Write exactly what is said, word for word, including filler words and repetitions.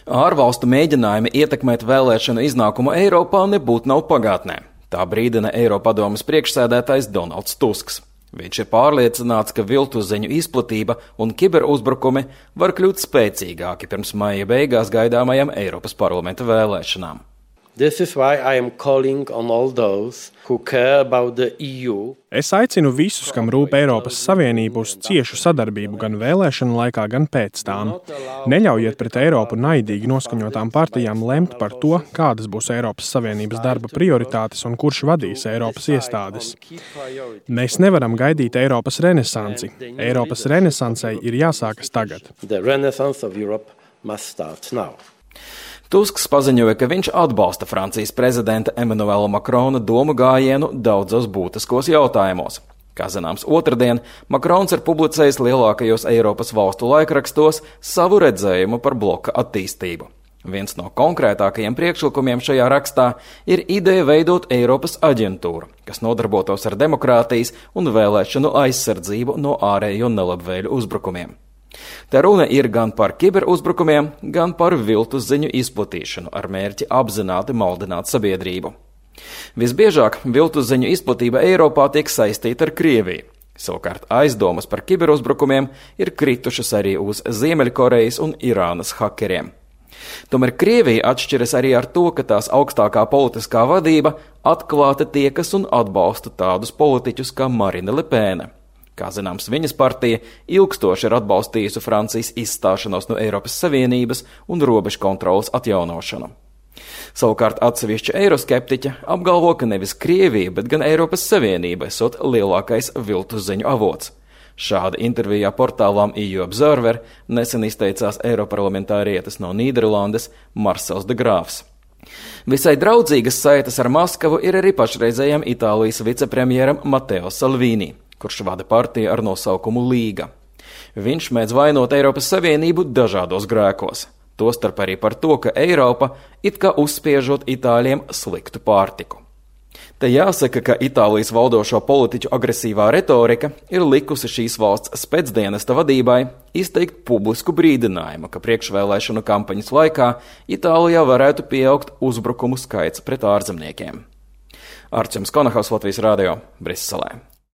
Ārvalstu mēģinājumi ietekmēt vēlēšanu iznākumu Eiropā nebūtu nav pagātnē. Tā brīdina Eiropadomes priekšsēdētājs Donalds Tusks. Viņš ir pārliecināts, ka viltusziņu izplatība un kiberuzbrukumi var kļūt spēcīgāki pirms maija beigās gaidāmajām Eiropas parlamenta vēlēšanām. This is why I am calling on all those who care about the E U. Es aicinu visus, kam rūp Eiropas Savienību, uz ciešu sadarbību gan vēlēšanu laikā, gan pēc tām. Neļaujiet pret Eiropu naidīgi noskaņotām partijām lemt par to, kādas būs Eiropas Savienības darba prioritātes un kurš vadīs Eiropas iestādes. Mēs nevaram gaidīt Eiropas renesansi. Eiropas renesansei ir jāsākas tagad. The renaissance of Europe must start now. Tusks paziņoja, ka viņš atbalsta Francijas prezidenta Emmanuela Macrona domu gājienu daudzos būtiskos jautājumos. Kā zināms, otrdien Macrons ir publicējis lielākajos Eiropas valstu laikrakstos savu redzējumu par bloka attīstību. Viens no konkrētākajiem priekšlikumiem šajā rakstā ir ideja veidot Eiropas aģentūru, kas nodarbotos ar demokrātijas un vēlēšanu aizsardzību no ārējo nelabvēļu uzbrukumiem. Te runa ir gan par kiberuzbrukumiem, gan par viltus ziņu izplatīšanu ar mērķi apzināti maldināt sabiedrību. Visbiežāk viltus ziņu izplatība Eiropā tiek saistīta ar Krieviju. Savukārt aizdomas par kiberuzbrukumiem ir kritušas arī uz Ziemeļkorejas un Irānas hakeriem. Tomēr Krievija atšķiras arī ar to, ka tās augstākā politiskā vadība atklāti tiekas un atbalsta tādus politiķus kā Marine Le Pen. Kā zināms, viņas partija ilgstoši ir atbalstījusi Francijas izstāšanos no Eiropas Savienības un robežu kontrolas atjaunošanu. Savukārt atsevišķi eiroskeptiķi apgalvo, ka nevis Krievija, bet gan Eiropas Savienība esot lielākais viltus ziņu avots. Šāda intervijā portālām E U Observer nesen izteicās eiroparlamentārietis no Nīderlandes Marcels de Grāfs. Visai draudzīgas saites ar Maskavu ir arī pašreizējam Itālijas vicepremjeram Matteo Salvini, kurš vada partiju ar nosaukumu Līga. Viņš mēdz vainot Eiropas Savienību dažādos grēkos, tostarp arī par to, ka Eiropa it kā uzspiežot Itāļiem sliktu pārtiku. Te jāsaka, ka Itālijas valdošo politiķu agresīvā retorika ir likusi šīs valsts spēcdienesta vadībai izteikt publisku brīdinājumu, ka priekšvēlēšanu kampaņas laikā Itālijā varētu pieaugt uzbrukumu skaits pret ārzemniekiem. Arčuns Konahaus, Latvijas radio, Briselē.